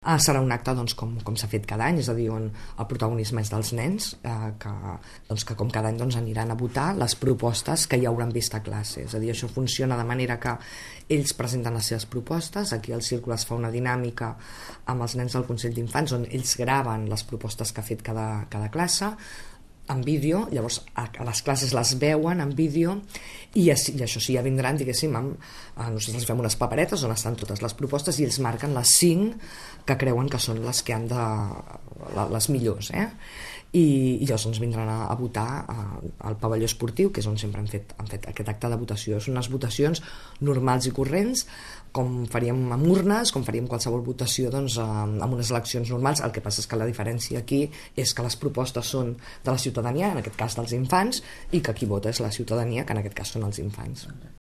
Serà un acte com s'ha fet cada any, és a dir, on el protagonisme és dels nens, que com cada any aniran a votar les propostes que ja hauran vist a classe. És a dir, això funciona de manera que ells presenten les seves propostes, aquí al Círculo es fa una dinàmica amb els nens del Consell d'Infants on ells graven les propostes que ha fet cada classe en vídeo, llavors a les classes les veuen en vídeo i això sí, ja vindran, diguéssim, nosaltres fem unes paperetes on estan totes les propostes i ells marquen les 5 que creuen que són les que han les millors, i llavors vindran a votar al pavelló esportiu, que és on sempre han fet aquest acte de votació. Són unes votacions normals i corrents, com faríem amb urnes, com faríem qualsevol votació amb unes eleccions normals. El que passa és que la diferència aquí és que les propostes són de la ciutadania, en aquest cas dels infants, i que qui vota és la ciutadania, que en aquest cas són els infants.